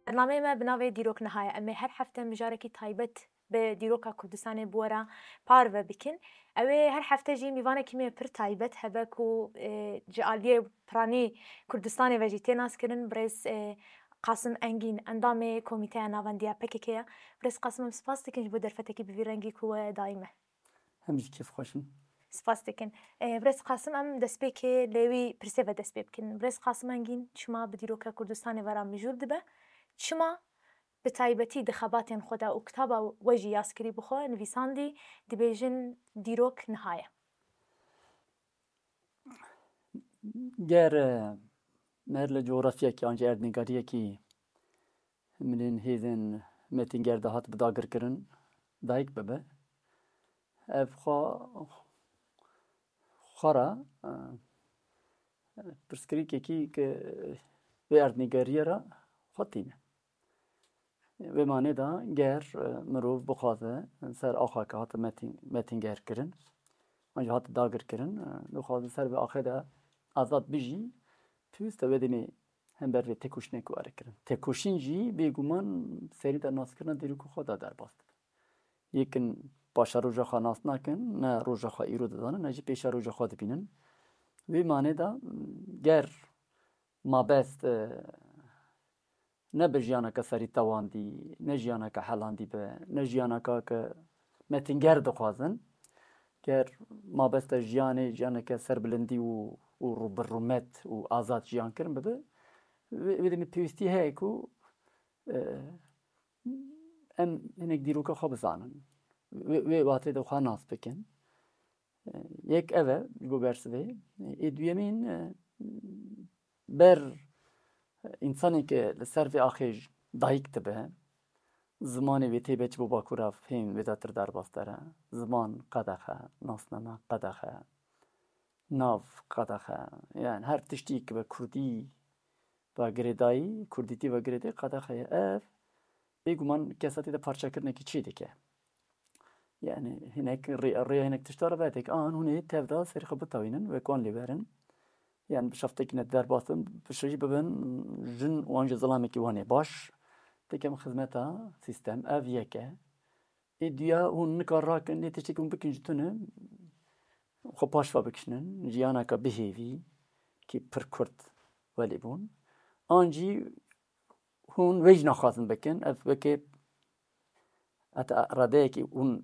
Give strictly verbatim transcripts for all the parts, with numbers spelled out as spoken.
Bernameyê me bi navê Dîrok Niha ye. Em ê her hefte mijarekî taybet bi dîroka Kurdistanê bi we re parve bikin. Ew ê her hefte jî mîvanekî me pir taybet hebe ku, e, ji aliyê piranî Kurdistanê ve jî tê naskirin. Birêz, e, Qasim Engîn, endamê Komîteya Navendiya P K K ye. Birêz Qasim, em spas dikin ji bo derfetekî bi vî rengî ku we dayî me. Em jî kêfxweş in. Spas dikin. E, Birêz Qasim, em destpêkê lê wî pirsê ve dest pê bikin. Birêz Qasim Engîn, çima bi dîroka Kurdistanê ve re mijûl dibe? Çima bi taybetî di xebatên xwe de û kitaba we jî yazkirî bi xwe nivîsandî, dibêjin dîrok niha ye? Ger, e, me li cografyekî an jî erdnîgariyekî milên hêzên metînger de hat bi dagirkirin dayik bibe, ev xwe, xwe re, e, pirsgirêkekî ki vê erdnîgariyê re xwe tîne. Vê manê de ger, e, mirov bixwaze ser axa ke hate metîn-, metîngerkirin, an jî hate dagirkirin, e, bixwaze ser vê axê de azad bijî, pêwîst e wê demê hember vê têkoşînekê were kirin. Têkoşîn jî bêguman serî de naskirina dîrokê xwe de derbas dibe. Yekin paşeroja xwe nas nakin, ne roja xwe îro dizanin, ne jî pêşeroja xwe dibînin. Vê manê de ger mabest, e, ne bi jiyaneke serî tewandî, ne jiyaneke helandî be, ne jiyaneke ke metînger dixwazin. Ger mabesta jiyanê, jiyaneke serbilindî û, û rû-, bi rûmet û azad jiyan kirin bibe, wê, wê demê pêwîstî heye ku, e, em hinek dîroka xwe bizanin. Wê, wê watê de xwe nas bikin. Yek ev e ji bo bersivê. Ê duyemîn, e, ber însanê ke li ser vê axê dayik dibe, zimanê wê tê be çi bo Bakûra fêm wê de tir derbas dere. Ziman qedexe, nasname qedexe, nav qedexe. Yani her tiştî ki bi kurdî ve girêdayî, kurdîtî ve girêdayî qedexe ye. Ev bêguman kesa tê de parçekirinekî çê dike. Yani hinek rê-, rêya hinek tişta re vedek an hûn ê tev de serê xwe bitewînin, wek wan lê werin. Yani bi şeftekî ne derbas bin, bi şerî bibin jin wan ji zilamekî wan ê baş. Tekem xizmeta sîstem ev yek e. Ê duya hûn nikar rakin, lê tiştekî hûn bikin ji tune xwe paş ve bikişinin, jiyaneke bihêvî ki pir kurt welê bûn. An jî hûn wê jî naxwazin bikin. Ev weke heta radeyekî hûn,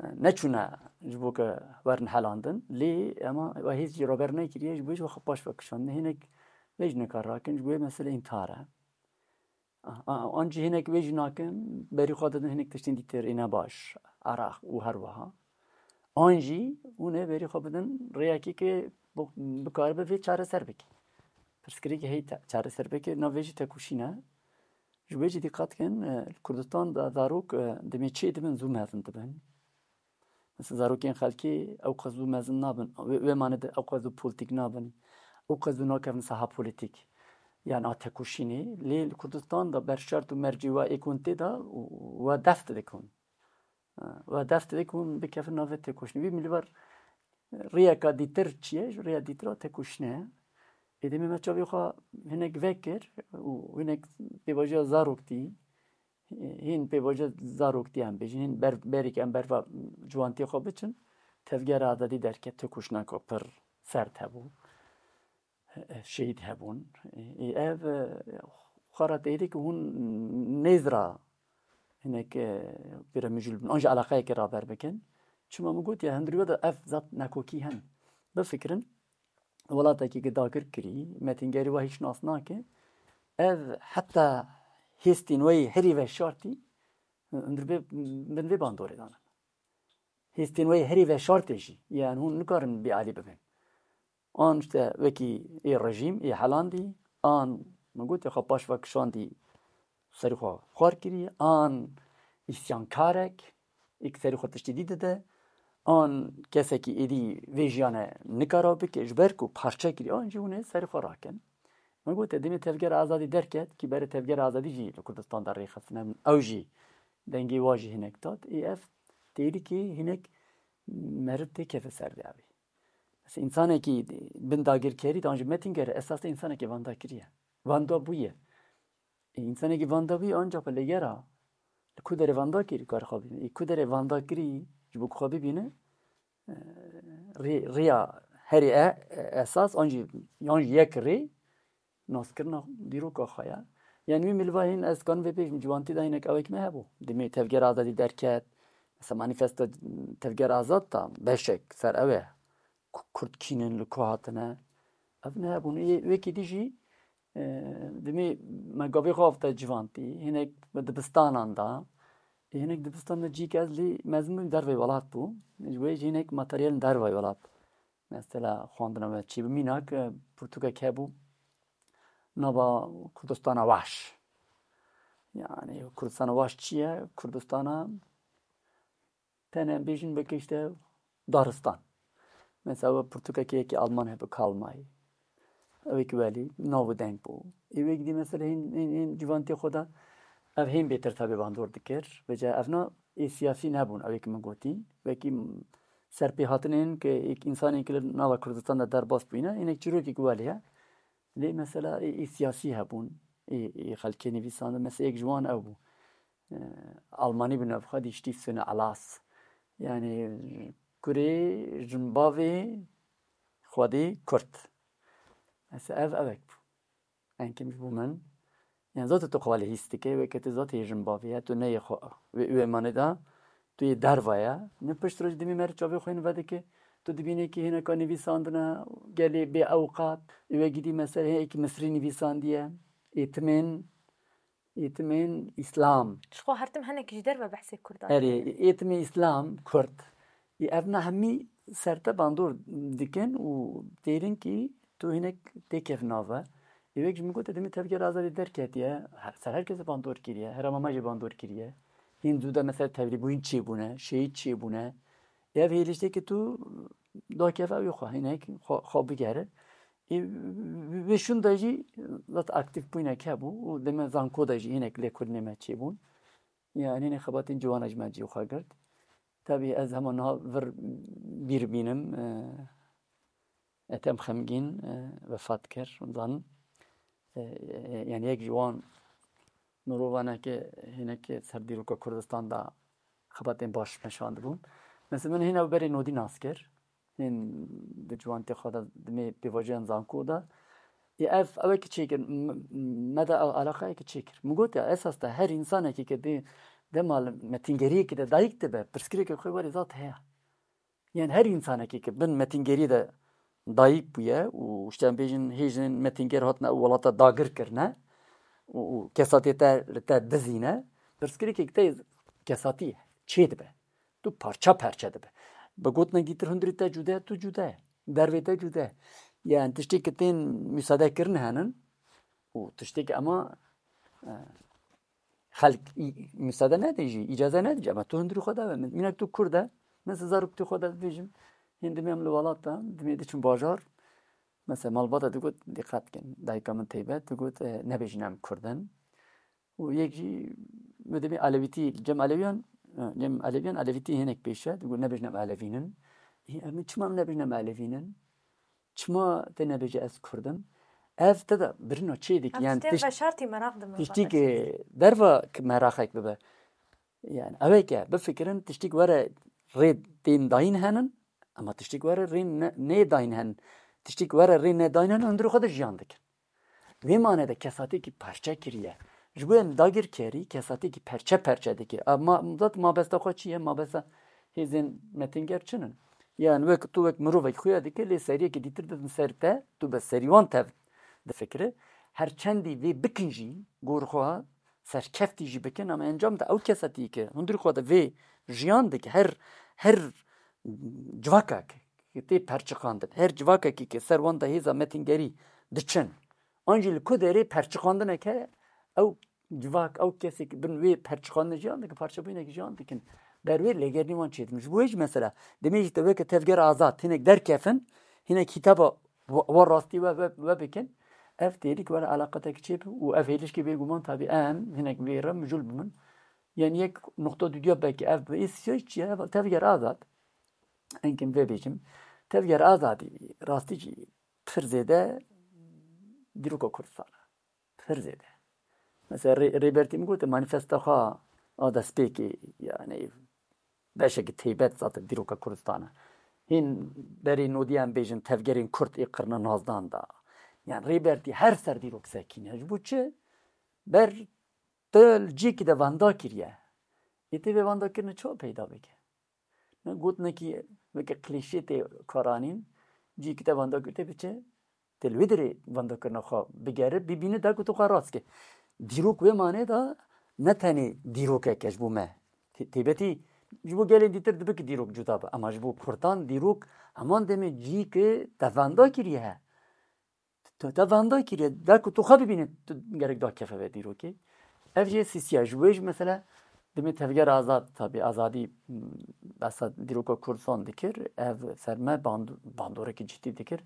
e, neçûne ji bo ke werin helandin. Lê ema we hêz jî raber nekiriye, ji bo jî we xwe paş ve kişandin. Hinek wê jî nikar rakin, ji bo wê mesele întihar e. A-, a-, an jî hinek wê jî nakin, berî xwe didin hinek tiştên dîtir ê ne baş, eraq û her wiha. An jî hûn ê berî xwe bidin rêyekê ke bi-, bikaribe vê çareser bike. Pirsgirêkê heyî te-, çareser bike, nav vê jî tekoşîn e. Ji wê jî dîqet kin, e, li Kurdistan de zarok, e, demê çê dibin zû mezin dibin. Mesela zarokên xelkê ew qas zû mezin nabin. Wê, wê mane de ew qas zû polîtîk nabin. Ew qas zû nakevin saha polîtîk. Yani a tekoşînê. Lê li Kurdistan de ber şert û mercê we ê ku hûn tê de û we dest dikun. We dest dikun bikevin navê tekoşînê. Wî milî ver rêyeka dîtir çi ye? Ji rêya dîtir a tekoşînê ye. Ê demê me çavê xwe hinek vekir û hinek pêvajoya zaroktî, hîn pêvajoya zaroktî em bêjin, hîn ber-, berî ke em berva ciwantiyê xwe biçin, Tevgera Azadî derket, tekoşîneke pir sert hebû, şehîd hebûn. Ê, ev, e, xwe re têrê ku hûn nêz ra hinek, e, pêre mijûl bin, an jî eleqeyekê raber bikin. Çima min gotiye, hundirî we de ev zat nakokî hene. Bifikirin, welatekî ki dagir kirî, metîngerî we hîç nas nake. Ev heta hêstên we yê herî veşartî, hundir bê, bin vê bandorê danin. Hêstên we yê herî veşartê jî, yani hûn nikarin bêalî bibin. An işte wekî ê rejîm, ê helandî, an min gotiye xwe paş ve kişandî, serî xwe xwar kirî, an îsyankarek, ê ki serî xwe tiştî dî dide, an kesekî êdî vê jiyane nikara bike, ji ber ku parçe kirî, an jî hûn ê serî xwe rakin. Min gotiye, demê Tevgera Azadî derket, ki berê Tevgera Azadî jî li Kurdistan de rêxistin hebin, ew jî dengê wa jî hinek dat. Ê ev têrîkê hinek meriv têkeve ser vê avê. Mesela, însanekî bin dagirkerî, dan jî metînger, esas de însanekî vanda kiriye. Vanda bûye. Ê, însanekî vanda bî, ancak bi lêgera. Li ku derê vanda kirî, kar xwe bîne. Ê, ku derê vanda kirî, ji bo ku xwe bibîne, e, rê-, rêya herê e-, e-, esas, an jî, yan jî yek rê, naskirina dîroka xwe ye. Yani wî milva hîn ez kanim vê bêjim, ciwantî de hinek ewek me hebû. Demê Tevgera Azadî derket, mesela manîfesto Tevgera Azad da beşek ser ew e. Ku-, Kurd kînin, li ku hatine. Ev nehebûn. Ê, wekî dî jî, e, demê me gavê xwe avte civantî, hinek bi dibistanan da. Ê, hinek dibistan de cî ke ez lê mezin bûm, dervey welat bû. Ji wê jî hinek materyalên dervey welat. Mesela xwendina me çî bi mînak, e, pirtûkek hebû. Nava Kurdistana Weş. Yani Kurdistana Weş çi ye? Kurdistana tenê em bêjin weke işte daristan. Mesela we pirtûkekê yekî Alman hebe Karl May. Ew ê ki welî nav û deng bû. Ê wê gidî mesela hîn, hîn, hîn civantê xwe de ev hên bêtir tevê bandor dikir. Vêca evna ê siyasî nebûn, ew ê ki min gotî. Wekî serpêhatinên ki êk însanên ki li nava Kurdistan de derbas bûyne, hinek çîrokê ki welê ye. Lê mesela ê, ê siyasî hebûn, ê, ê xelkê nivîsandin, mesela yek ji wan ew bû. E, Almanî bi navxwe dî Stiftshüne Alas. Yani kurê jinbavê xwedê Kurd. Mesela ev ewek bû. Enkim ji bo min. Yani zaten tu xwe lê hîs dike, weke tu zaten yê jinbavê ye, tu ne yê xwe, wê, wê manê de, tu yê derva ye. Ne pişt roj dimî mer çavê xwe hîn vedike, tu dibînî ki hineka nivîsandine, gelê bê ewqat, ê we gidî mesela hê êkî Misrî nivîsandiye, êtimên, êtimên Îslam. Ji xwe her tim hinek ji derve behsê Kurdan Erê, dike. Êtimê Îslam, Kurd. Ê ev na hemî ser te bandor dikin û têrin ki tu hinek tê kevnava. Ê wek ji min gote demê Tevgera Azadî derketiye, her, ser her kesê bandor kiriye, herêma me jî bandor kiriye. Hîn zû de mesela tevlîbûyîn çêbûne, şehîd çêbûne. Ev hêliştê ki tu dakeve ew xwe, hinek xwe, xwe bigere. Ê, vê şûn de jî zat aktîf bûynek hebû û deme zanko de jî hinek lêkolînê me çêbûn. Yani ne xebatên ciwana ji me cî xwe girt. Tabii ez hema niha vir bîr bînim, e, Ethem Xemgîn, e, vefat kir, zanim. E, e, yani yek ji wan mirovane ki hinekî ser dîroka Kurdistan de xebatên baş meşandibûn. Mesela min hîn ew berê nodî nas kir. Hîn di ciwantê xwe de dimê pêvajoyan zanko de. Ê ev, ew ê ki çêkir, m-, m-, me de ew eleqeyê ki çêkir. Min got ya, esas de her însanekî ki dê dema li metîngeriyekî de dayik dibe, pirsgirêkê xwe werê zat heye. Yani her însanekî ki bin metîngeriyê de dayik bûye û işte em bêjin hêjin metînger hatine ew welata dagir kirine û, û kesatiyê te li te dizîne, pirsgirêkê te kesatî çê dibe. Tu parça parça dibe. Bi gotinek dîtir hundirî te cude ye, tu cude ye. Dervê te cude ye. Yani tiştê ki tên müsaade kirin henin û tiştê ki ema, e, xelk î-, müsaade nedin jî, îcaze nedin jî. Ama tu hundirî xwe dawe. Mînak tu Kurd e, mesela zarok tu xwe de dibêjim, hîn dimê em li welat de, dimê diçin bajar. Mesela malbata digot, dîqet kin, dayika min teybet, digot, e, nebêjin em Kurd in. û yek jî, min dibê Elewîtî, cem Elewiyan, cem Elewiyan, Elewîtî hinek pêş e, digot nebêjin em Elewîn in. Ê, em çima em nebêjin em Elewîn in? Çima te nebêje ez Kurd im? Ev te de birina çê dikî, Ev yani tiştê tişt-, veşartî meraq dibe tiştî valla. Ki derva ki meraqek bibe. Yani ew ê ke bifikirin tiştîk were rê tên dayîn henin, ama tiştîk were rê ne-, nê dayîn henin. Tiştîk were rê nedayîn henin, hundirê xwe de jiyan dikin. Vê mane de kesatiyekî parçe kiriye. Ji bo em dagirkerî kesatiyekî perçe perçe dike. A, ma, zat mabesta xwe çi ye? Mabesta hêzên metînger çi ne? Yani wek tu wek mirovek xuya dike, lê seriyekî dîtir didin ser te, tu bi serî wan tev difikire. Her çendî vê bikin jî, gor xwe serkeftî jî bikin, ama encam de ew kesatiyê ke hundirî xwe de vê jiyan dike, her, her civakek tê perçiqandin. Her civakekî ke ser wan de hêza metîngerî diçin. An jî li ku derê perçiqandineke ew civak, ew kesê ki bin wê perçiqandin jiyan dikin, parçebûyinekî jiyan dikin. Ber wê lêgerînî wan çêdikin. Ji bo wê jî mesela, demê jî te weke Tevgera Azad hinek derkefin, hinek hîtaba we, we rastî we, we, we bikin. Ev têrîk were eleqatekî çêbe û ev hêlişkê bêguman tabî em hinek vê re mijûl bimin. Yani yek nuqta dudiya belkî ev bi êsiyayî çi ye? Tevger Azad. Enkim vê bêjim. Tevger Azadî rastî jî pir zêde dîroka Kurdistan e. Pir zêde. Mesela Rê-, Rêbertî min gote manîfesta xwe a destpêkê, yani beşekî teybet zaten dîroka Kurdistan e. Hîn berê nodî em bêjin tevgerên Kurd ê qirna nozdan da. Yani Rêbertî her ser dîrok sekîne. Ji bo çi? Ber tu li cîkî de venda kiriye. Ê tê vê vendakirinê çawa peyda bike? Ne gotinekî weke klîşê tê karanîn, cîkî te venda kir, tê biçe, tê li wê derê vendakirina xwe bigere, bibîne, da ku tu xwe rast ke. Dîrok wê manê de ne tenê dîrokek e ji bo me. Tê-, têbetî ji bo gelên dîtir dibe ki dîrok cuda be. Ema ji bo Kurdan dîrok heman demê cî ki te venda kiriye he. Tu te venda kiriye. Da ku tu xwe bibîne, tu gerek da kefe ve dîrokê. Ev jê sîsiya. Ji bo yê jî mesela demê tevger azad, tabi azadî, m, behsa dîroka Kurdistan dikir. Ev ser me band-, bandorekî cidî dikir.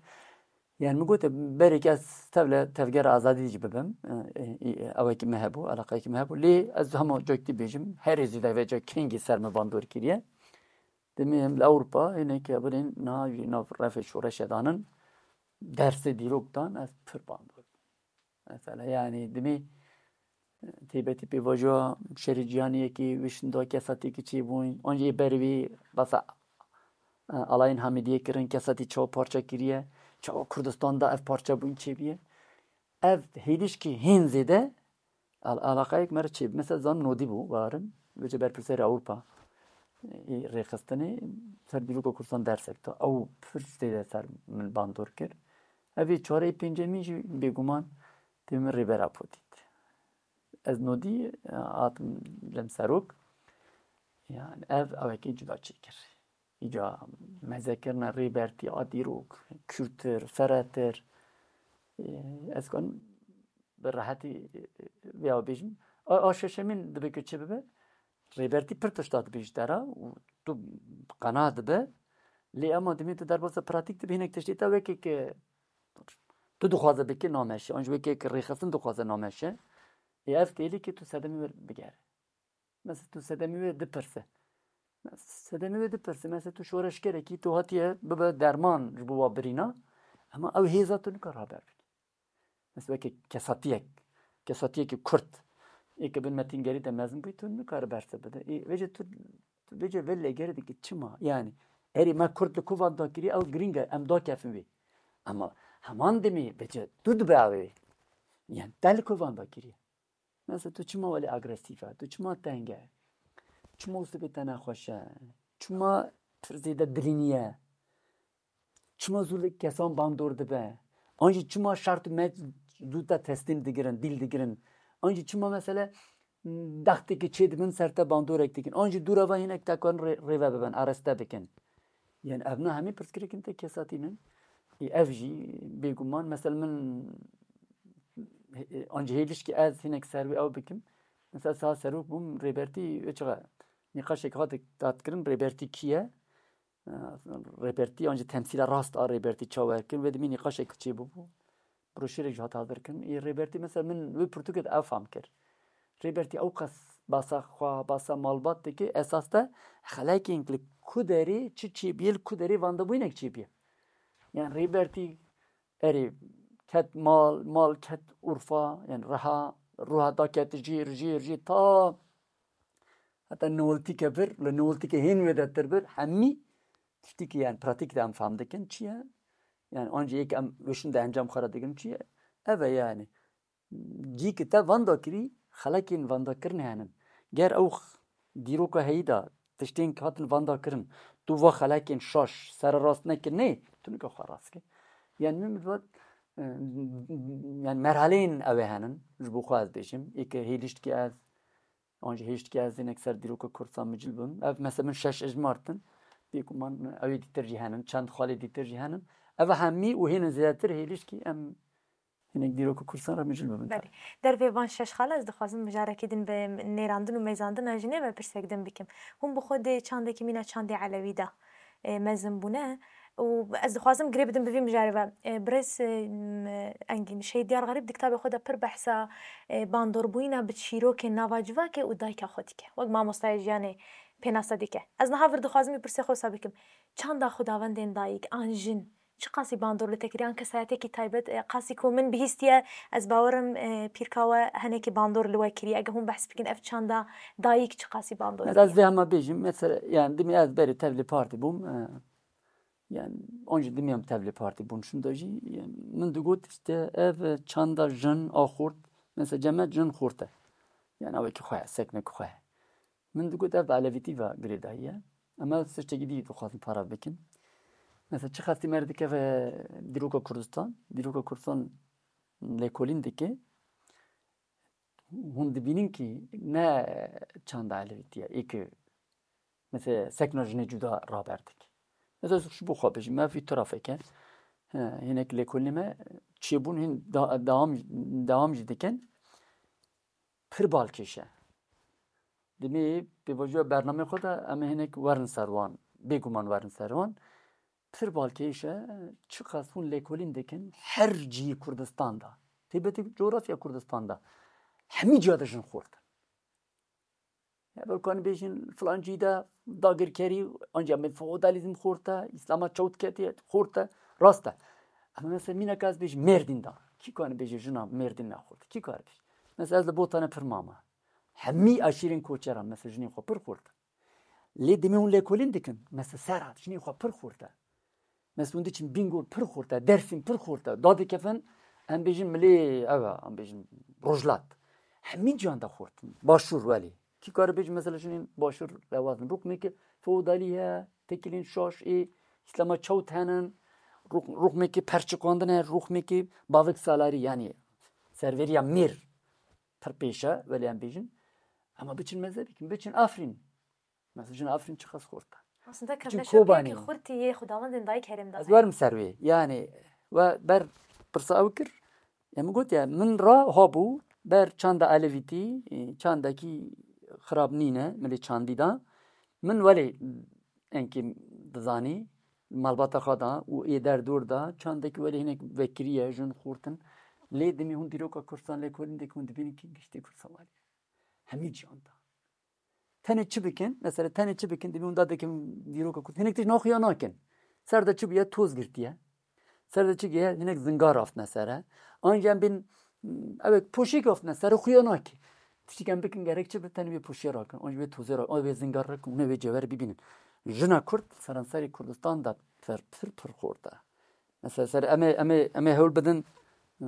Yani min gote berê ke ez tevle tevgera azadî jî bibim. E, e, e, ewekî me hebû, eleqeyekî me hebû. Lê ez hema cekî bêjim, herê zêde vêca kengî ser me bandor kiriye. Demê em li Ewropa, hinek birên niha jî nav refê şoreşê danin, dersê dîrok dan, ez pir bandor bûm. Mesela, yani, demê, e, têbetî pêvajoya şerê cîhanê yekê, wê şinda kesatiyekî çêbûn, an jî ber wî basa, e, alayên Hamidiyê kirin, kesatî çawa parça kiriye, çawa Kurdistan da ev parçebûn çêbûye. Ev hêlîşkî hîn zêde al-, alaqayek me re çê. Mesela zan nodî bû, warin, vêce berpirsêra Ewropa, ê rêxistinê ser dîroka Kurdistan dersek da. Ew pir zêde ser min bandor kir. Ev ê çarê pêncemîn jî bêguman tê min rêbera potît. Ez nodî, e, hatim lem serok. Yani ev ewekê cuda çêkir. Îca mezekirina Rêbertî a dîrok, kûrtir, ferehtir. E, ez kan bi rehetî, e, vêya bêjim. A, a şeşemîn dibe ku çi bibe? Rêbertî pir tişta dibê ji te re û tu qena dibe. Lê ema dimê tu derbasa pratîk dibê hinek tiştê te wekê ke tu dixwaze bikî nameşe. An jî wekê ke rêxistin dixwaze nameşe. Ê ev têlî ke tu sedemê wê bigere. Mesela tu sedemê wê dipirse. Sedemê wê dipirse. Mesela tu şoreşgerekî, tu hatiye bibe derman ji bo wa birîna. Ema ew hêza tu nikar haber bikî. Mesela weke kesatiyek, kesatiyekî Kurd, ê ke bin metîngerî de mezin bûyî, tu nikare berse bide. Ê, vêce tu, tu vêce vê lêgerê dikî çima? Yani, erê me Kurd li ku vanda kirî, ew girîng e, em dakefin wê. Ema heman demê vêce tu dibe ew ê. Yani, te li ku vanda kirî? Mesela tu çima welê agresîf e? Tu çima teng e? Çima sibê te nexweş e? Çima pir zêde dilînî ye? Çima zû li kesan bandor dibe? An jî çima şert û mec zû te teslîm digirin, dîl digirin? An jî çima mesele dexteke çê dibin ser te bandorek dikin? An jî dûra ve hinek te karin rê-, rêve bibin, areste bikin. Yani ev ne hemî pirsgirêkên te kesatî nin. Ê ev jî bêguman, mesela min, e, an jî hêlişkî ez hinek ser wê ew bikim. Mesela saha serok bûm, Rêbertî wê çaxa nîqaşek hat datkirin, Rêbertî kî ye? E, Rêbertî an jî temsîla rast a Rêbertî çawa kirin, wê dimî nîqaşek çêbûbû. Broşürek jî hat hazir kirin. Ê Rêbertî mesela min wê pirtûkê de ew fam kir. Rêbertî ew qas basa xwe, basa malbat dike, esas de xelekên li ku derê çi çêbûye, li ku derê vandebûyînek çêbûye. Yani Rêbertî erê ket mal, mal ket Urfa, yani reha, ruha daket jêr, jêr, jêr ta heta newltîke vir, li newltîke hên wêdetir vir, hemî tiştîkî yani pratîk de em fam dikin çi ye? Yani an jî yek em wê şûn de encam xwe re digirin çi ye? Ev e yani. Cî ki te vanda kirî, xelekên vandakirinê henin. Ger ew x-, dîroka heyî de tiştên ki hatin vanda kirin, tu va xelekên şaş sererast nekirinê, tu nika xwe rast kir. Yani min vat, e, yani merhaleyên ew ê henin, ji bo xwe ez bêjim, ê ke hêliştkî ez, an jî hêştkî ez hinek ser dîroka Kurdistan micil bim. Ev mesela min şeş ejmar tin, bêguman ew ê dîtir jî henin, çend xalê dîtir jî henin. Ev hemî û hênin zêdetir hêliştkî em hinek dîroka Kurdistan re micil bibin. Belê. Dervê van şeş xal ez dixwazim mijarekî din bi nêrandin û mêzandina jinê ve pirsek din bikim. Hûn bi xwe dê çandekî mîna çandê Elewî de, e, mezin bûne û ez dixwazim girê bidim bi vî mijarê ve. E, birêz, e, m-, Engîn, Şehîd Diyar Xerîb di kitabê xwe de pir behsa, e, bandorbûyîna bi çîrokên nava civakê û dayika xwe dike. Wek mamostayê jiyanê pênase dike. Ez niha vir dixwazim wî pirsê xwe wisa bikim. Çanda xwedawendên dayik an jin Çi qasî bandor li te kiriye? Yan kesayeteke taybet, e, qasî ku min bihîstiye, ez bawerim, e, pîrka we henekî bandor li we kiriye. Eger hûn behs bikin, ev çanda dayîk çi qasî bandor Ez, kiriye? Ez vê hema bêjim, mesela, yani dimê ez berê tevlê partî bûm, e, yani onca dimê em tevlê partî bûn, şunda jî, yani, min digot işte ev çanda jin a xort, mesela cemet jin xort e. Yani ew ki xwe, seknek xwe. Min digot ev bi elevîtî ve girêdayî ye. Em ev tiştekî dî dixwazin para bikin. Mesela çi xestî me dikeve dîroka Kurdistan, dîroka Kurdistan lêkolîn dike. Hûn dibînin ki ne çanda elevîtî ye, ê ki mesela sekna jinê cuda raber dike. Mesela ji bo xwe bijî, me vî tarafeke, he, hinek lêkolînê me çêbûn hîn da-, dewam, dewam jî dikin. Pir balkêş e. Dimê pêvajoya bernamê xwe de em ê hinek werin ser wan, bêguman werin ser wan. Pir balkêş e, çiqas hûn lêkolîn dikin, her cihî Kurdistan de, taybetî coğrafya Kurdistan de, hemî ciya de jin xort in. Ya belkan bêjin filan cihî de dagirkerî, ancî em ê feodalîzm xort e, Îslama çewt ketiye, xort e, rast e. Ama mesela mînaka ez bêjim Mêrdîn de. Kî kane bêje jina Mêrdîn nexort? Kî kare bêje? Mesela ez li Botanê pir mama. Hemî eşîrên koçeran mesela jinên xwe pir xort e. Lê demê hûn lêkolîn dikin, mesela Serhat jinê xwe pir xort e. Mesela hûn diçin Bîngol pir xort e, Dersim pir xort e. Dadikevin, em bêjin milê ev e, em bêjin Rojhilat. Hemî ciyan de xort in. Başûr welê. Kî kare bêje mesela jinên Başûr rewaz in. Rûxmeke feodalî heye, têkilên şaş ê, Îslama çewt henin, rûx-, rûxmeke perçiqandin heye, rûxmeke bavik salarî, yanî serveriya mêr pir pêş e, welê em bêjin. Ama biçin meze bikin, biçin Afrîn. Mesela jina Afrîn çiqas xurt e. Aslında Çin kevneşa Kobanî. Piyekî xurtî yê xudawendên dayik herêm da. Ez werim ser wê. Yani we ber pirsa ew kir. Ya min got ya, min ra habû ber çanda elevîtî, e, çandekî xirab nîne, milê çandî da. Min welê enkî dizanî, malbata xwe da û ê derdor da, çandekî welê hinek vekiriye, jin xurtin. Lê dimî hûn dîroka Kurdistan lêkolîn dek hûn dibînin ki giştî Kurdistan welê. Hemî ciyan da. Tenê çi bikin? Mesela tenê çi bikin? Dibî hûn da dikin dîroka Kurd. Hinek tişt naxuya nakin. Ser de çi bûye? Toz girtiye. Ser de çi giye? Hinek zingar aftine sere. Anca em bin, ew poşêk aftine sere xuya nake. Tiştik em bikin gerek çi bi tenê wê poşê rakin. Anca wê tozê rakin. Anca wê zingar rakin. Hûn ê wê cewher bibînin. Jina Kurd seranserê Kurdistan de pir, pir, pir xort e. Mesela ser em ê, em ê, em ê hewl bidin, e,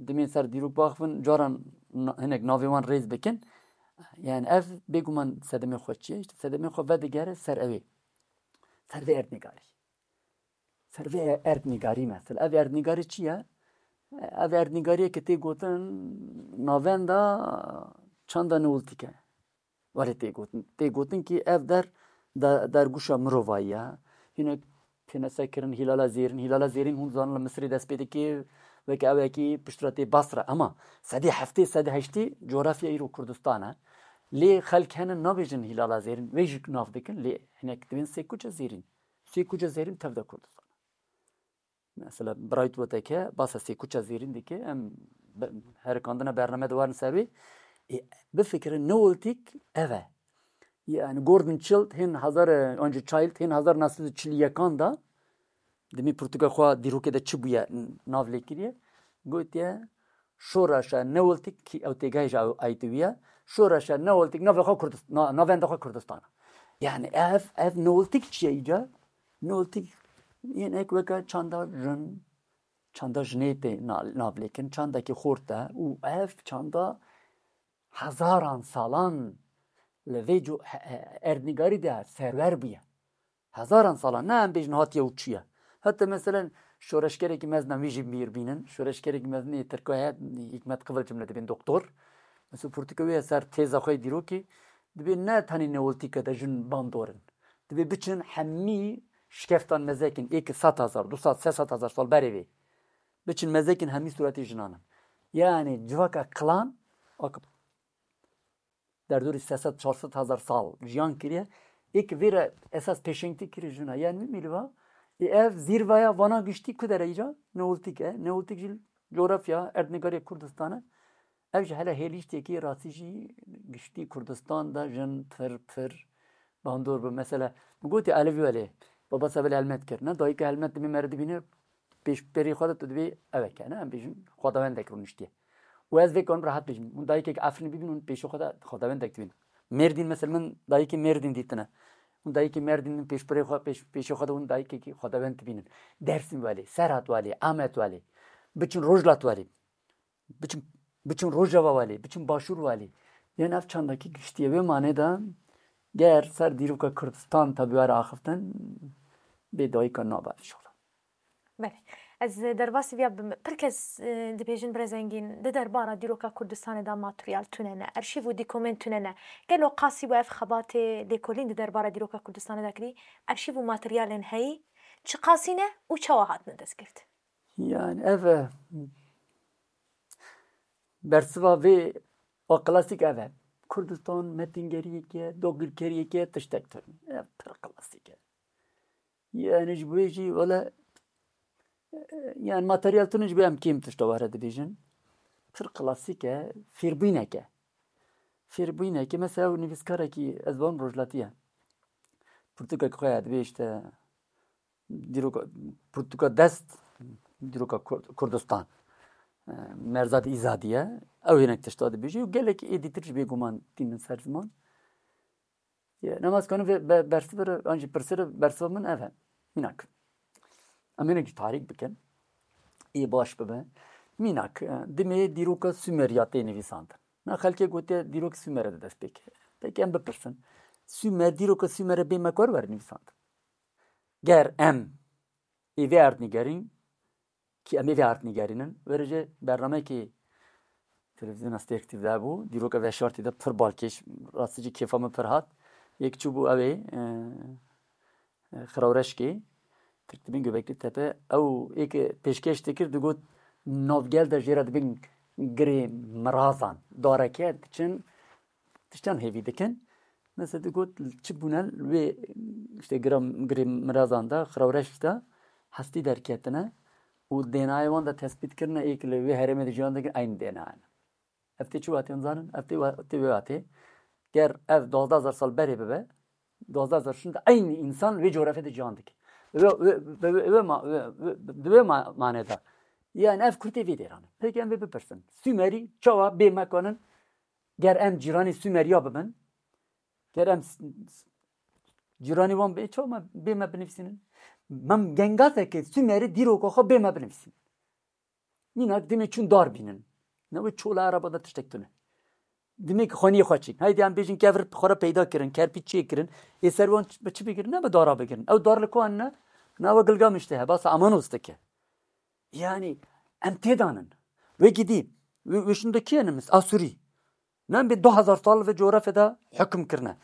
dimên ser dîrok baxivin, caran na-, hinek navê wan rêz bikin. Yani ev bêguman sedemê xwe çi ye? İşte sedemê xwe vedigere ser ew ê. Ser vê erdnîgarî. Ser vê erdnîgarî mesela. Ev erdnîgarî çi ye? Ev erdnîgariyeke tê gotin navenda çanda neolîtîk e. Were tê gotin. Tê gotin ki ev der, de-, dergûşa mirovayî ye. Hinek têne sekirin Hîlala Zêrîn. Hîlala Zêrîn hûn zanin li Misirê dest pê dike, weke ew yekî piştre tê Basra. Ema sedê heftê, sedê heştê coğrafya îro Kurdistan e. Lê xelk hene nabêjin Hîlala Zêrîn, wê jî nav dikin, lê hinek dibên Sêkuça Zêrîn. Sêkuça Zêrîn tev de Kurdistan e. Mesela Bright Whitaker basa Sêkuça Zêrîn dike, em be-, herikandina bername de werin ser wê. Ê, bifikirin, Neolîtîk ev e. Yani Gordon Childe hên hezar, e, anca Childe hên hezar neh sed û çil û yekan da, dimî pirtûka xwe dîrokê de çi bûye n-, nav lê kiriye, gotiye, şoreşa Neolîtîk ki ew têgehê ji ew ait wî ye, şoreşa Neolîtîk navê xwe Kurdist-, na-, navenda xwe Kurdistan e. Yani ev, ev Neolîtîk çi ye îca? Neolîtîk yên ek weke çanda jin, çanda jinê tê na-, nav lê kirin, çandekî xurt e û ev çanda hezaran salan li vê co-, he-, he-, erdnîgarî de serwer bûye. Hezaran salan, ne em bêjin hatiye û çûye. Heta meselen şoreşgerekî mezin em wî jî bîr bînin. Şoreşgerekî mezin ê Tirka heye, Hikmet Kıvılcım li dibên doktor. Mesela pirtûka wê ye ser têza xwe yê dîrokî. Dibê ne tenê Neolîtîke de jin bandor in. Dibê biçin hemî şikeftan mezekin, ê ki sed hezar, du sed, sê sed hezar sal berê vê. Biçin mezekin hemî sûretê jinan in. Yani civaka kilan, ak-, derdorî sê sed, çar sed hezar sal jiyan kiriye. Ê ki vê re esas pêşengtî kiriye jina. Yani wî mîliva, ê ev zîrveya vana giştî ku dere îca? Neolîtîk e. Neolîtîk jî coğrafya, erdnîgariya Kurdistan e. Ev jî hele hêlîştekî rastî jî giştî Kurdistan de jin pir pir bandor bû. Mesela, min gotî elevî welê. Babas ev helmet kir. Ne, dayika helmet dibê me re dibîne, pêşberî xwe de tu dibê ev e ke, ne, em bêjin xwedawendek rûniştiye. Û ez vê karim rehet bêjim. Hûn dayikek Efrînê bibînin, hûn pêşî xwe de xwedawendek dibînin. Mêrdîn, mesela min dayikê Mêrdîn dîtine. Hûn dayikê Mêrdîn min pêşberî xwe, pêş-, pêşî xwe de hûn dayikekî xwedawend dibînin. Dersim welê, Serhat welê, Amed welê. Biçin Rojhilat welê. Biçin, biçin Rojava welê, biçin Başûr welê. Yên ev çandakî giştiye. Wê manê de ger ser dîroka Kurdistan tabî were axiftin, bê dayika nabe ev şola. Belê. Ez derbasî viya bim. Pir kes, e, dibêjin birêz Engîn, di derbara dîroka Kurdistanê de materyal tune ne, arşîv û dîkomên tune ne. Gelo qasî bû ev xebatê lêkolîn di derbara dîroka Kurdistanê de kirî? Arşîv û materyalên heyî çiqasî ne û çawa hatine destgirt? Yani ev, e, bersiva vê a klasîk ev e. Kurdistan metingeriyeke, dagirkeriyeke tiştek tune. Ev pir klasîk e. Yani ji bo wê jî wele, e, yani materyal tune ji bo em kêm tişta were dibêjin. Pir klasîk e, fêrbînek e. Fêrbînek e, mesela ew nivîskarekî ez barim rojhilatî ye. Pirtûkek xwe ye, dibê işte dîroka, pirtûka dest, dîroka Kur-, Kurdistan. E, Merzad Îzadî ye. Ew hinek tişta dibêjî û gelek ê dîtir ji bêguman tînin ser ziman. Ye, nema ez kanim vê be-, bersiv re, an jî pirsê re bersiva min ev e. Mînak. Em hinek jî tarîk bikin. Ê baş bibe. Mînak, e, dimê dîroka Sumeriya tê nivîsandin. Na xelkê gotiye dîrok Sumerê de dest pê kiriye. Peki em bipirsin. Sumer, dîroka Sumerê bê me kar were nivîsandin. Ger em ê vê erdnîgerîn, ki em ê vê erdnîgerînin, were jî bernameyekî televîzyona Stêrk T V de bû, dîroka veşartî de pir balkêş, rastî jî kêfa min pir hat. Yek çûbû ew ê, e, e, Xiraw Reşkê, Tirk dibin Göbekli Tepe, ew ê ke pêşkêş dikir, digot, navgel de jê re dibin girê mirazan, dareke diçin, tiştan hêvî dikin. Mesela digot, çi bûne li wê, işte, gira-, girê mirazan de, Xiraw Reşk de hestî derketine û D N A'yê wan de tespît kirine, ê ke li wê herêmê de jiyan dikin, eyn D N A ne. Ev tê çi watê zanin? Ev tê wa-, tê wê watê. Ger ev duwazdeh hezar sal berê bibe, duwazdeh hezar şûn de eynî însan wê coğrafyê de cihan dike. Wê, wê, wê, wê, wê ma-, wê, wê, di wê ma-, manê de. Yani ev kurtê vê dêran e. Peki em vê bipirsin. Sumerî çawa bê me kanin? Ger em cîranê Sumeriya bibin, ger em s-, s-, cîranê wan bê, çawa me, bê me binivîsînin? Mem gengazeke Sumerî dîroka xwe bê me binivîsînin. Mînak dimê çûn dar bînin. Ne wê çola Ereba de tiştek tune. Dimê ki xaniyê xwe çîn. Haydi em bêjin kevir xwe re peyda kirin, kerpîç çê kirin. Ê ser wan bi çi bigirin? Ne bi dara bigirin. Ew dar li ku anine? Ne we Gilgamiş de he, basa Amanos dike. Yani em têdanin. Wê gidî. Wê, wê şûn de kê nimis? Asûrî. Ne em bê du hezar sal ve coğrafya de hukm kirine.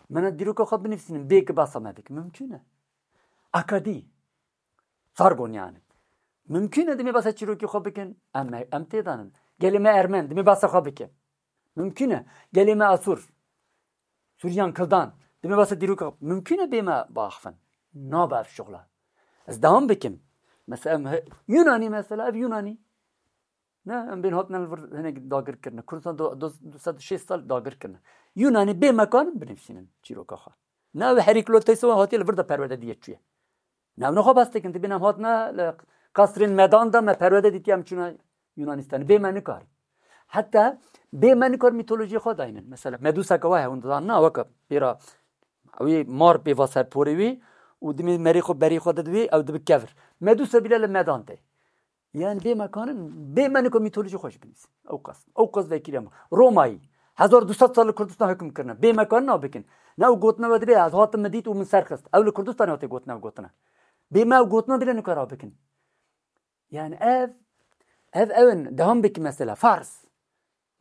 Me ne dîroka xwe binivîsînin, bê ki basa me bikin. Mümkün e. Akadî. Sargon yani. Mümkün e dimê basa çîrokê xwe bikin. Em, em têdanin. Gelê me Ermen, dimê basa xwe bikin. Mümkün e. Gelê me Asûr. Sûriyan Kildan. Dimê basa dîroka. Mümkün e bê me baxivin. Nabe ev şuxla. Ez dewam bikim. Mesela em he-, Yunanî mesela, ev Yunanî. Ne, em bên hatine li vir hinek dagir kirine. Kurdistan du, du, du sed û şêst sal dagir kirine. Yunanî bê me kanin binivîsînin çîroka xwe. Ne ew Herîkloteysa wan hatiye li vir de perwerde diye çûye. Ne ew nexwe bes dikin, dibên em hatine li qesrên Medan de me perwerde dîtiye em çûne Yunanistanê. Bê me nikar. Heta bê me nikar mîtolojiyê xwe daynin. Mesela Meduseke wa hewin didan na weke pêra wî mar pê va ser porê wî û dimê merê xwe berê xwe didivê ew dibi kevir. Medusa bîle li Medan tê. Yani bê me kanin, bê me nika mîtolojî xwe jî binivîsin. Ew qas. Ew qas vekirî em. Romayî. Hezar du sed sal li Kurdistan hukm kirine. Bê me kanin ew bikin. Ne ew gotine we dibê, ez hatim min dît û min ser xist. Ew li Kurdistanê hatê gotine ew gotine. Bê me ew gotine bile nika ra bikin. Yani ev, ev ew in, dewam bikin mesela. Fars.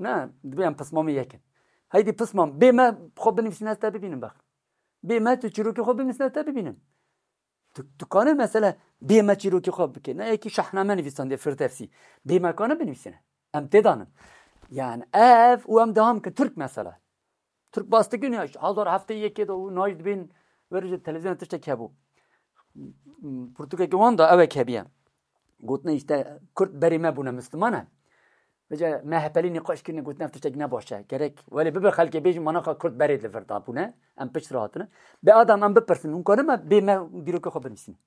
Ne, dibê em pismamê yekin. Heydi pismam, bê me xwe binivîsin ez te bibînim bex. Bê me tu çîrokê xwe binivîsin ez te bibînim. Tu, tu kane mesela bê me çîrokê xwe bike. Ne yekî şahname nivîsandiye Firdevsî. Bê me kane binivîsine. Em têdanin. Yani ev û em dewam ke Tirk mesela. Tirk bas dikin ya, hezar heftê yekê de û nayî dibên, were ji televîzyona tiştek hebû. Pirtûkeke wan da ewek hebiye. Gotine işte Kurd berê me bûne Misliman e. Vêca M H P'lî nîqaş kirine, gotin ev tiştek ne baş e. Gerek welê bibe xelkê bêjin, manaxa Kurd berê li vir dabûne. Em pişt re hatine. Bê adam em bipirsin, hûn karin me bê me dîrokê xwe binivîsînin?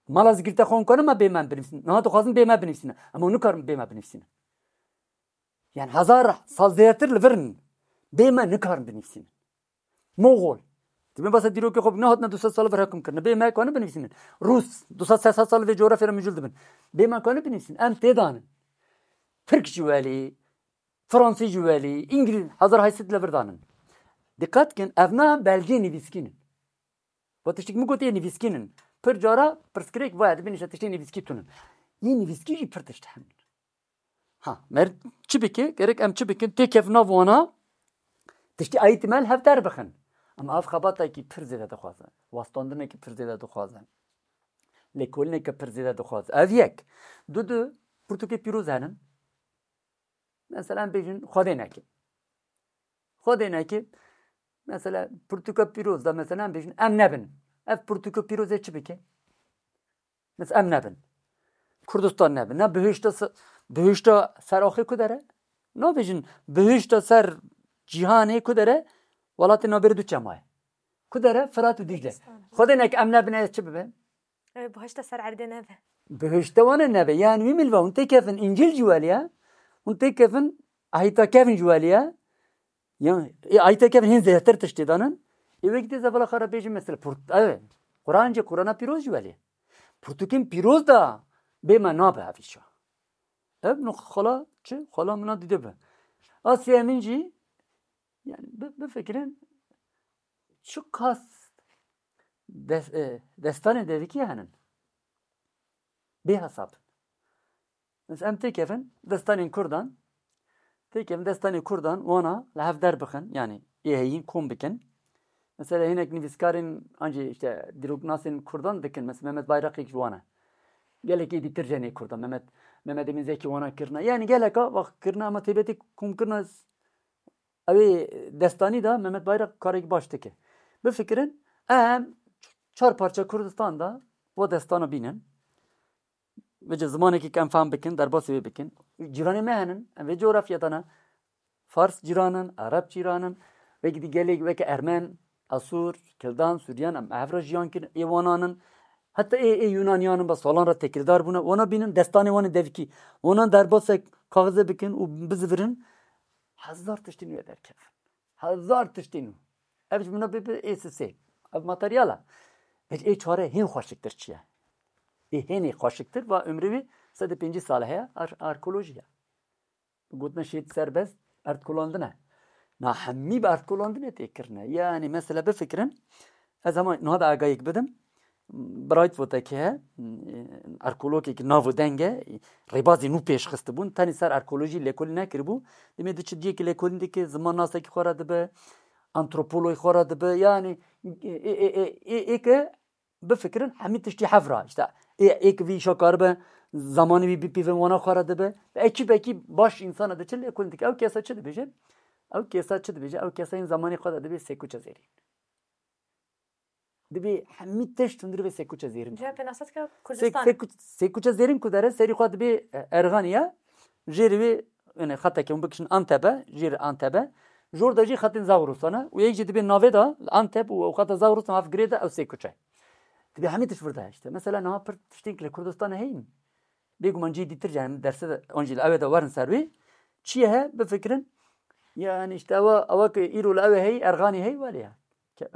Mala zikirte xwe hûn karin me bê me binivîsînin? Niha dixwazin bê me binivîsînin. Em hûn nikarin bê me binivîsînin. Yani hezar sal zêdetir li vir in. Bê me nikarin binivîsînin. Moxol. Dibên basa dîrokê xwe, nehatine du sed sal vir hekum kirine. Bê me karin binivîsînin? Rûs, du sed sê sed sal vê coğrafya re mijûl dibin. Bê me karin binivîsînin? Em tê danin. Tirk jî welî, Fransî jî welî, Îngilîz, hezar heyşt sed li vir danin. Diqet kin, ev na belgê nivîskîn in. Bo tiştik min got, ê nivîskîn in. Pir cara pirsgirêk vaya dibin, işte tiştê nivîskî tune. Yê nivîskî jî pir tişt hene. Ha, mer çi bike? Gerek em çi bikin? Têkevin nav wana, tiştî eğitimel hev derbixin. Ama ev xebatekî pir zêde dixwaze. Wastandinekî pir zêde dixwaze. Lêkolîneke pir zêde dixwaze. Ev yek. Du du pirtûkê pîroz henin. Mesela em bêjin Xwedê neke. Xwedê neke. Mesela pirtûka pîroz da mesela em bêjin em nebin. Ev pirtûka pîroz ê çi bike? Mesela em nebin. Kurdistan nebin. Ne bihişta se-, bihişta ser axê ku dere? Nabêjin bihişta ser cîhanê ku dere? Welatê nabêrê du çema ye. Ku dere? Firat û Dîcle. Kurdistan. Xwedê neke em nebin, ez çi bibe? E, bihişta ser erdê nebe. Bihişta wane nebe. Yani wî milva hûn têkevin Încîl jî welî ye. Hûn têkevin Ahîta Kevin jî welî ye. Ya, ê Ahîta Kevin hîn zêdetir tiştê danin. Ê wekî tê zevala xwe re bêjin mesela purt-, ev, Quran jî, Qurana pîroz jî welî ye. Pirtûkên pîroz da bê me nabe ev îşa. Ev nuq-, xala çi? Xala min a dîde be. Asya min jî, yani bi-, bifikirin çiqas des-, e, destanê devikî henin. Bê hesab. Mesela em têkevin destanên Kurdan, têkevin destanê Kurdan wana li hev derbixin, yani ê heyîn kom bikin. Mesela hinek nivîskarên an jî işte dîroknasên Kurdan dikin. Mesela Mehmet Bayrakî ji wana. Gelekî dîtir jenê Kurdan. Mehmet, Mehmet Emin Zekî wana kirine. Yani geleka vaxt kirine ama têbetê kom kirine. Ew ê destanî de Mehmet Bayrak karekî baş dike. Bifikirin, em çar parça Kurdistan de bo destana bînin. Vêce zimanekî ke em fehm bikin, derbasî wê bikin. Cîranê me henin, em vê coğrafya de ne. Fars cîran in, Ereb cîran in. Wekî dî gelek weke Ermen, Asûr, Kildan, Suryan, em hev re jiyan kirin, ê wanan in. Heta ê, ê Yunaniyan in, be salan re têkildar bûne. Wana bînin, destanê wan ê devikî. Wana derbasek kaxize bikin û bizivirin. Hezar tiştên wê derkevin. Hezar tiştên wê. Ev ji min re bê, bê ê sisê. Ev materyal e. Vêc ê çare hên xweşiktir çi ye? Ê hênê xweşiktir va ömrü wî sed û pêncî sal heye, ar-, arkeolojî ye. Gotine şehîd serbest erdkolandin e. Na hemî bi erdkolandinê tê kirine. Yani mesela bifikirin, ez hema niha da agayek bidim. Brightwood-ekî he, arkeologekî nav û deng e, rêbazê nû pêş xistibûn. Tenê ser arkeolojî lêkolîn nekiribû. Demê di çi diyekî lêkolîn dike, zimannasekî xwe re dibe, antropologî xwe re dibe. Yani ê, ê, ê, ê, ê, ê ke bifikirin hemî tiştî hev re. İşte ê, ê ke vî îşa karibe, zamanê wî bipîvin wana xwe re dibe. Ve ekî bekî baş însana de çi lêkolîn dike. Ew kesa çi dibêje? Ew kesa çi dibêje? Ew kesa yên zamanê xwe de dibê sêkuça zêrîn. Dibê hemî tişt hundir vê sêkuça zêrîn. Cem pênasat ke Sê-, Kurdistan. Sêkuç-, sêkuça zêrîn ku dere serî xwe dibê, e, Erxanî ye. Jêrî wê, yani xeteke hûn bikişin Antebe, jêrî Antebe. Jor de jî xetên Zagrostan e. Û yek jî dibê navê de Antep û ew xeta Zagrostan haf girê de ew sêkuçe. Dibê hemî tişt vir de işte. Mesela niha pir tiştên ki li Kurdistanê heyîn. Bêguman cihê dîtir jî, yani derse de, an jî li ew ê de werin ser wê. Çi ye he? Bifikirin. Yani işte ewa, ewa ki îro li ew ê heyî, Erxanî heyî, welê ye. Ke-,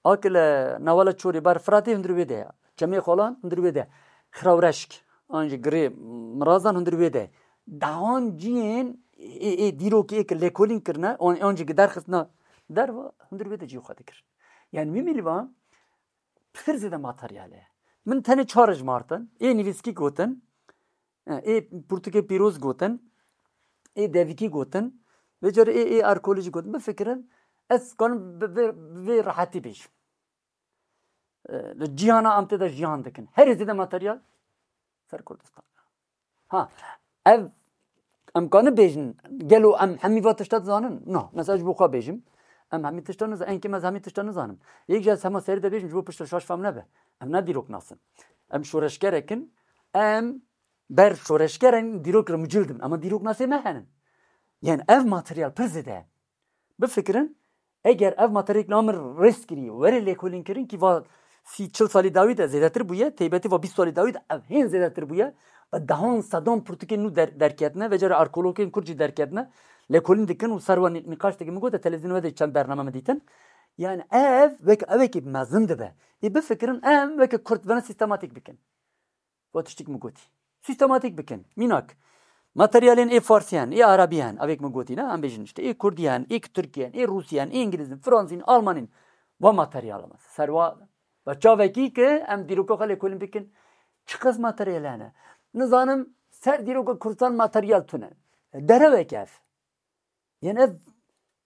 A ki li newala Çorê ber Firatê hundir wê de ye. Çemê Xwalan hundir wê de ye. Xirawreşk, an jî Girê Mirazan hundir wê de ye. Dehan cihên ê, ê dîrokê ê ki lêkolîn kirine, an, an jî ki derxistina derva hundir wê de cihê xwe dikirin. Yani wî mîlvan pir zêde materyal e. Min tenê çar ji martin, ê nivîskî gotin, e, ê pirtûkê pîroz gotin, ê devikî gotin, vê carê ê, ê arkeolojî gotin. Bifikirin, ez kanim bi vê, bi vê rehetî bêjim. E, li cîhana em tê de jiyan dikin. Herî zêde materyal ser Kurdistan. Ha, ev em kanin bêjin, gelo em hemî va tişta dizanin? Na, mesela ji bo xwe bêjim, em hemî tişta nizanin, enkê me ez hemî tişta nizanim. Yek jî ez hema serî de bêjim, ji bo piştre şaş fam nebe. Em ne dîroknas in. Em şoreşgerek in, em ber şoreşgeran dîrok re mucil dibin. Ama dîroknasê me henin. Yani ev materyal pir zêde ye. Bifikirin, eger ev materyalek li amir rêz kirî, were lêkolîn kirin ki va sî çil salî dawî de zêdetir bûye, teybetî va bîst salî dawî de ev hên zêdetir bûye. Ve dehan sedan pirtûkên nû der-, derketine, ve cara arkeologên Kurd jî derketine, lêkolîn dikin û ser wan nî-, nîqaş dikin. Min gote televîzyonê we de çend bername min dîtin. Yani ev wek, ewekî mezin dibe. Ê bifikirin em weke Kurd vene sîstematîk bikin. Got tiştik min gotî. Sîstematîk bikin. Mînak. Materyalên ê Farsî hen, ê Arabî hen, avêk min gotî ne, em bêjin işte, ê Kurdî hen, ê Tirkî hen, ê Rûsî hen, ê Îngilîzîn, Fransîn, Almanîn. Va materyal ama. Serwa ve çavekî ki em dîroka xwe lêkolîn bikin. Çi qas materyal hene? Nizanim ser dîroka Kurdistan materyal tune. Derewek ev. Yanî ev,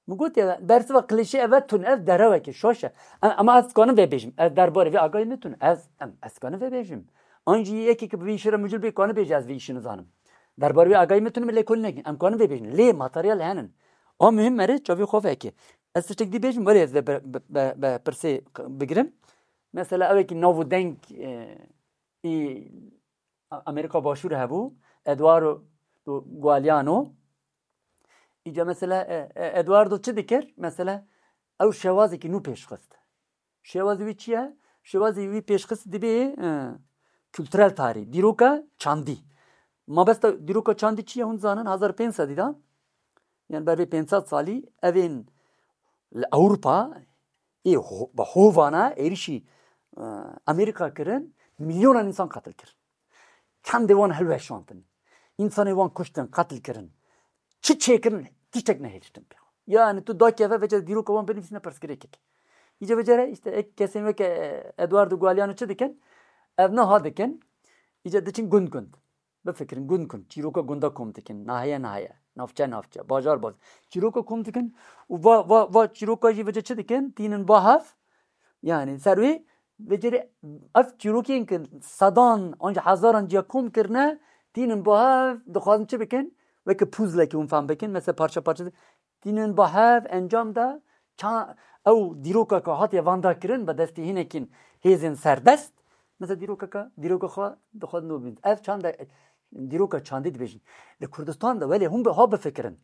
min got ya, bersiva klîşe ev e tune, ev derewekê şaş e. Em, ama ez dikanim vê bêjim. Ez derbarê vê agahî min tune. Ez, em, ez dikanim vê bêjim. An jî yekê ki bi vî şî re mucil bê, kanim bêje ez vî şî nizanim. Derbarê vê agahî min tune, min lêkolîn nekin. Em kanin vê bêjin. Lê materyal henin. A muhim mere çavê xwe veke. Ez tiştek dî bêjim, were ez vê be, be, be, be pirsê bigirim. Mesela ewekî nav û deng, e, ê Amerîka Başûr hebû, Eduardo Galeano. Îca mesela, e, e, Eduardo çi dikir? Mesela, ew şewazekî nû pêşxist. Şewazê wî çi ye? Şewazê wî pêşxist dibê, e, kulturel tarî, dîroka çandî. Mabesta dîroka çandî çi ye hûn zanin? Hezar pênc sedî de, yani ber vê pênc sed salî, evên li Ewropa ê ho-, bi hovana êrişî, e, Amerîka kirin, milyonan însan qetil kirin. Çendê wan hilweşantin. Însanê wan kuştin, qetil kirin. Çi çêkirin, tiştek nehêliştin pê. Yani tu dakeve vece dîroka wan binivîsîne pirsgirêkek. Îce vecere işte ek kesên weke, e, Eduardo Galeano çi dikin? Ev niha dikin. Îce diçin gund gund. Bifikirin, gund gund. Çîroka gunda kom dikin. Nahiye nahiye. Navçe navçe. Bajar bajar. Çîroka kom dikin. Û va, va, va çîroka jî vece çi dikin? Tînin ba hev. Yani ser wê vecere ev çîrokên ki sedan, anca hezaran ciya kom kirine, tînin ba hev, dixwazin çi bikin? Weke puzzlekî hûn fehm bikin. Mesela parça parça tînin ba hev, encam da ça-, ew dîrokeka hatiye vanda kirin bi destê hinekîn hêzên serdest. Mesela dîrokeka, dîroka xwe dixwazin nû bîn. Ev çanda dîroka çandî dibêjin. Li Kurdistan de welê hûn bi ha bifikirin.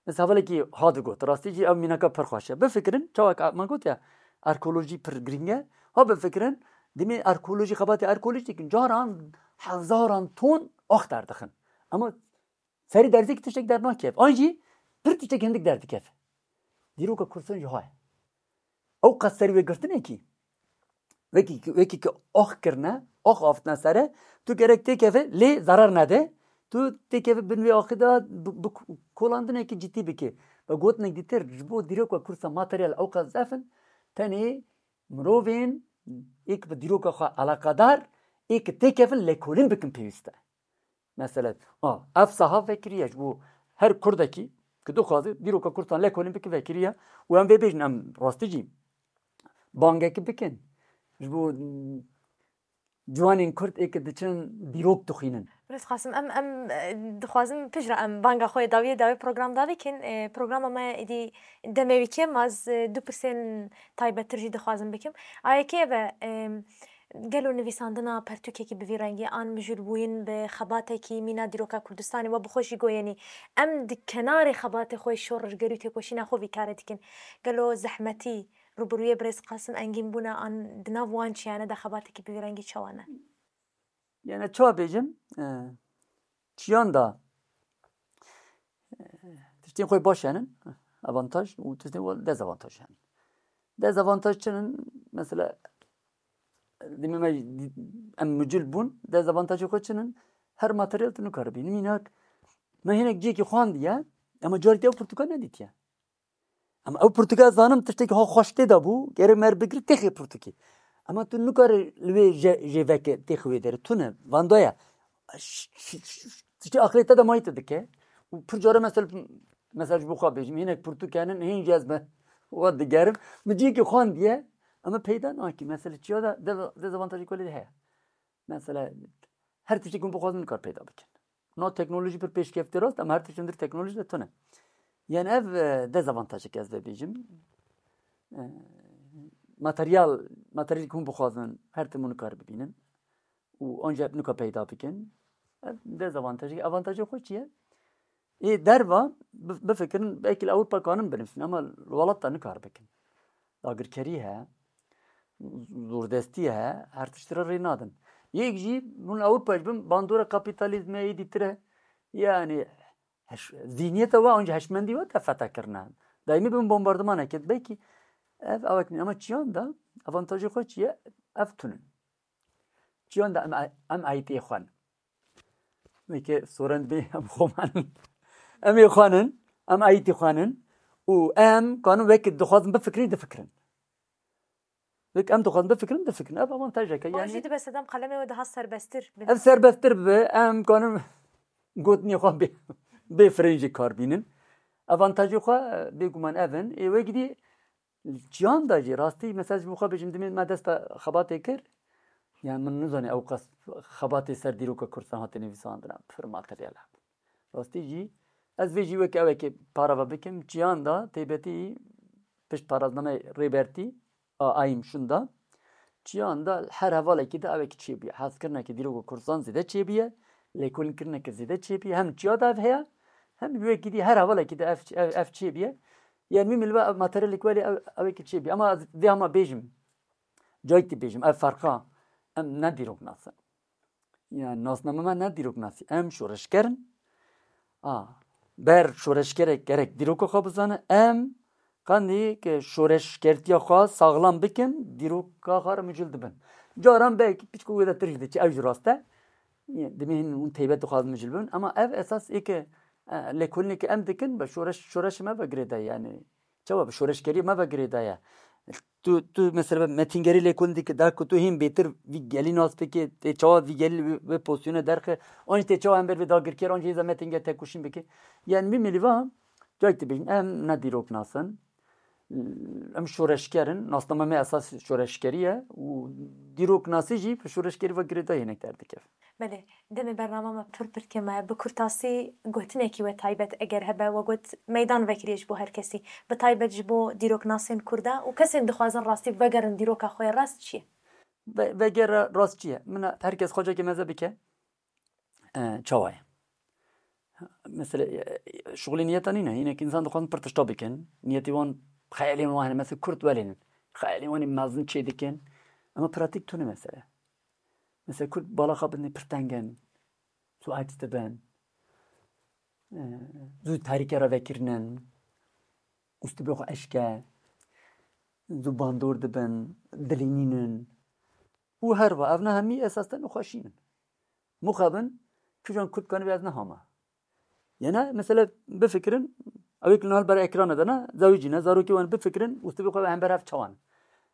Mesela hevalekî ha digot, rastî jî ev mînaka pir xweş e. Bifikirin, çawa ka-, me got ya, arkeolojî pir girîng e. Ha bifikirin, dimê arkeolojî, xebatê arkeolojî dikin, caran hezaran ton ax derdixin. Ama serî derzê ki tiştek dernakeve. An jî pir tiştek hindik derdikeve. Dîroka Kurdistan jî ha ye. Ew qas serî wê girtinekî. Wekî, wekî ki ax kirine, ax avitine sere, tu gerek têkeve lê zarar nede. Tu têkeve bin wê axê de bi, bi kolandinekî cidî bike. Ve gotinek dîtir, ji bo dîroka Kurdistan materyal ew qas zef in, tenê mirovên ê ki bi dîroka xwe eleqedar, ê ki têkevin lêkolîn bikin pêwîst e. Mesela, a, ev saha vekiriye ji bo her Kurdekî ki dixwaze dîroka Kurdistan lêkolîn bike vekiriye û em vê bêjin, em rastî jî bangekî bikin. Ji bo, mm, ciwanên Kurd ê ki diçin dîrok dixwînin. Birêz Qasim, em, em, e, dixwazin piştre em banga xwe dawiyê dawê program davikin. E, programa me êdî demê wî kêm, ez, e, du pirsên taybettir jî dixwazim bikim. A yekê ev e, e, Gelo nivîsandina pertûkekî bi vî rengî an mijûlbûyîn bi xebatekî mîna dîroka Kurdistanê we bi xwe jî goyenî, em di kenarê xebatê xwe yê şoreşgerî û têkoşîna xwe vî karê dikin. Gelo zehmetî rûbirûyê birêz Qasim Engîn bûne an di nav wan çiyane de xebatekî bi vî rengî çawa ne? Yani çawa bêjim, e, çiyan da, e, tiştên xwe baş henin, avantaj û tiştên xwe dezavantaj henin. Dezavantaj çi in? Mesela, demê me em mucil bûn, dezavantajê xwe çi in? Her materyal tu nikare bînî. Mînak, me hinek cihekî xwandiye, ema carî te ew pirtûka nedîtiye. Ama ew pirtûka ez zanim tiştekî ha xweş tê de bû, gerek me bigir têxê pirtûkê. Ama tu nikare li wê je-, jê veke têxê wê derê. Tune, vanda ye. Ş-, ş-, ş-, tiştê aqilê te de mayî te dike. Û pir care mesela, mesela ji bo xwe bêjim, hinek pirtûk henin, hîn jî ez me wa digerim. Min cihekî xwandiye, ama peyda nakî. Mesela çiya de, de, dezavantajê kulî de heye. Mesela her tiştek hûn bixwazin nikar peyda bikin. No teknolojî pir pêşkefte rast, ama her tişt hundir teknolojî de tune. Yani ev, e, dezavantajek ez vê bêjim. E, materyal, materyalek hûn bixwazin her tim hûn nikar bibînin. Û ancak nika peyda bikin. Dezavantajê, avantajê xwe çi ye? Ê derva bi-, bifikirin, belkî li Ewropa kanin binivîsin, ama li welat de nikar bikin. Dagirkerî heye, zordestî heye, her tişt re rê nadin. Yek jî hûn Ewropa jî bin bandora kapîtalîzmê, êdî tire, yani heş-, zîhniyeta we, anca heşmendî we te fete kirine. Daîmî bin bombardimanekê, belkî ev awek nîne, ama çiyan de avantajê xwe çi ye? Ev tune. Çiyan de em, em aîtiyê xwe ne. Weke soren bê em xwe manin. Em ê xwe nin, em aîtî xwe nin û em kanin weke dixwazin bifikirin, difikirin. Weke em dixwazin bifikirin, difikirin. Ev avantajeke. Wan Yani jî dibe sedem qalemê we daha serbesttir bin. Ev serbesttir bibe, em kanin gotinê xwe bê, bê firin jî kar bînin. Avantajê xwe, e, bêguman ev in. Ê wekî dî çiyan de jî rastî, mesela ji bo xwe bêjim, dimê me dest bi xebatê kir. Yani min nizanî ew qas xebatê ser dîroka Kurdistan hate nivîsandin, pir materyal hebû. Rastî jî ez vê jî weke ewekê parava bikim, çiyan de taybetî pişt paraznameyê Rêbertî a Ayîm şunda. Çiyan de her hevalekî de ewekî çêbûye. Hezkirineke dîroka Kurdistan zêde çêbûye, lêkolînkirineke zêde çêbûye. Hem çiya de ev heye, hem wekî dî her hevalekî de ev, ev, ev çêbûye. Yani wî milî ve materyalek welê ew, ewekî çêbûye. Ama ez vê hema bêjim, cayî tê bêjim, ev ferqa em ne dîroknas in. Yani nasname me ne dîroknasî. Em şoreşker in. A, ber şoreşkerek gerek dîroka xwe bizane. Em qandî ke şoreşkertiya xwe saxlam bikin, dîroka xwe re micûl dibin. Caran belkî piçko wê de tir jî diçe, ew jî rast e. Yê, dimê hin hûn teybet dixwazin micûl bibin. Ama ev esas ê ke, e, lêkolînê ke em dikin, be şoreş, şoreşê me ve girêdayî, yani. Çawa bi şoreşgerî me ve girêdayî. Tu, tu mesela metîngerî lêkolîn dike, da ku tu hîn bêtir vî gelî nas bike, tê çawa vî gelî wê, wê pozisyonê derxe, an jî tê çawa hember vê dagirker, an jî hêza metînger tekoşîn bike. Yani wî milî va, cayî tê bêjin, em ne dîroknas in, em şoreşger in, nasnama me esas şoreşgerî ye û dîroknasî jî bi şoreşgerî ve girêdayî hinek derdikeve. Belê, demê bernama me pir pir kêm e. Bi kurtasî gotinekî we taybet eger hebe, we got meydan vekiriye ji bo her kesî. Bi taybet ji bo dîroknasên Kurda û kesên dixwazin rastî vegerin dîroka xwe yê rast çi ye? Ve-, vegera rast çi ye? Min her kes xwecekê meze bike. E, çawa ye? Mesela, e, şixulê niyeta nîne. Hinek însan dixwazin pir tişta bikin. Niyetê wan, xeyalên wan hene. Mesela Kurd welênin. Xeyalên wan ê mezin çê dikin. Ama pratîk tune mesele. Mesela Kurd bala xwe bidin pir teng in. Zû aciz dibin. E, zû tarîke re vekirinin. Ûstibê xwe eşke. Zû bandor dibin. Dilînînin. Û herva ev ne hemî esas te nexweşîn in. Mixabin, kîjan Kurd kanibê ez nehama. Yene, mesela, bifikirin, ew ê ku li hal ber ekrana de ne, zewicî ne, zarokê wan bifikirin, ûstibê xwe hember hev çawan.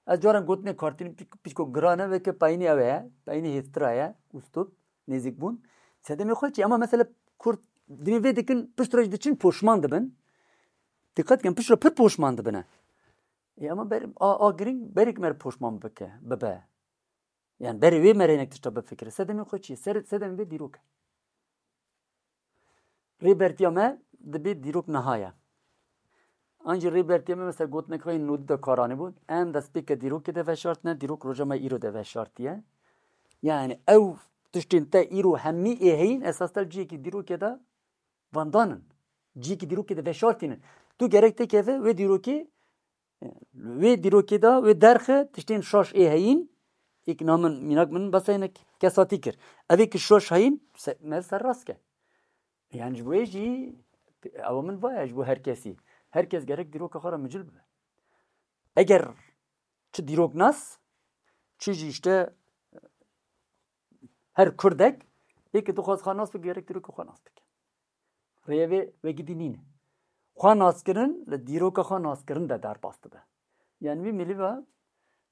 Ez caran gotinê kartîn pîk-, pîçko giran e, weke payînê ew heye, payînê hêztira ye, ûstib, nêzîkbûn. Sedemê xwe çi? Ema mesela Kurd, divê vê dikin, pişt re jî diçin, poşman dibin. Dîqet kin, pişt re pir poşman dibine. Ê, ema ber, a, a giring, berî ku me re poşman bike, bibe. Yani berê wê me re hinek tişta bifikire. Sedemê xwe çi ye? Ser-, sedemê vê dîrok e. Rêbertiya me dibê dîrok niha ye. An jî rêbertiya me mesela gotinek xwe yên nodî de karanî bû. Em destpêke dîrokê de veşartine, dîrok roja me îro de veşartiye. Yani ew tiştên te îro hemî ê heyîn esas te ciyekî dîrokê de vandanin. Ciyekî dîrokê de veşartînin. Tu gerek têkeve wê dîrokê Wê dîrokê de, wê derxe tiştên şaş ê heyîn, êk na min, mînak min besa hinek kesatî kir. Ev ê ki şaş heyîn, se-, me ser rast ke. Yani ji bo wê jî, ew min vaya ji bo her kesî. Her kes gerek dîroka xwe re micil bibe. Eger çi dîroknas, çi jî işte her Kurdek, ê ki dixwaz xwe nas bike, gerek dîroka xwe nas bike. Rêyê vê wekî dî nîne. Xwe naskirin li dîroka xwe naskirin de derbas dibe. Yani wî milî ve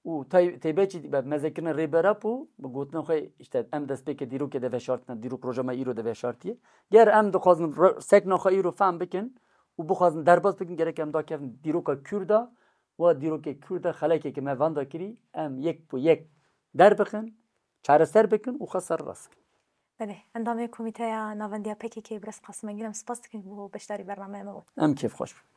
û tay-, taybetî be mezekirina Rêber Apo, bi gotina xwe, işte, em destpêkê dîrokê de veşartine, dîrok roja me îro de veşartiye. Ger em dixwazin ro-, sekna xwe îro fehm bikin û bixwazin derbas bikin, gerek em dakevin dîroka Kûrda, wa dîrokê Kûrda xelekeke me vanda kirî, em yek bi yek derbixin, çareser bikin û xwe serrast bikin. Belê, endamê Komîteya Navendiya P K K, Birêz Qasim Engin, em spas dikin bo beşdarî bernameya me bûn. Em kêfxweş bûn.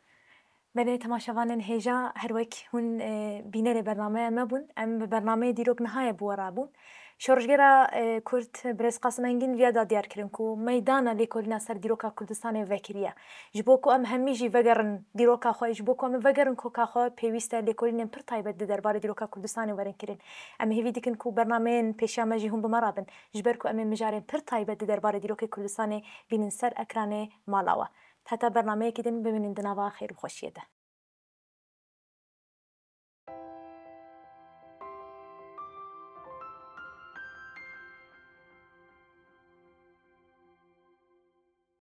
Belê, temaşevanên hêja, her wek hûn, e, bînerê bernameya me bûn, em bi bernameyê Dîrok Niha ye bi we re bûn. Şoreşgera, e, Kurd, Birêz Qasim Engîn viya da diyar kirin ku meydana lêkolîna ser dîroka Kurdistanê vekiriye. Ji bo ku em hemî jî vegerin dîroka xwe, ji bo ku em vegerin koka xwe, pêwîst e lêkolînên pir taybet di derbarê dîroka Kurdistanê werin kirin. Em hêvî dikin ku bernameyên pêşiya me jî hûn bi me re bin, ji ber ku em ê mijarên pir taybet di derbarê dîrokê Kurdistanê bînin ser ekranê mala we. Heta bernameyekî din bimînin di nava xêr û xweşiyê de.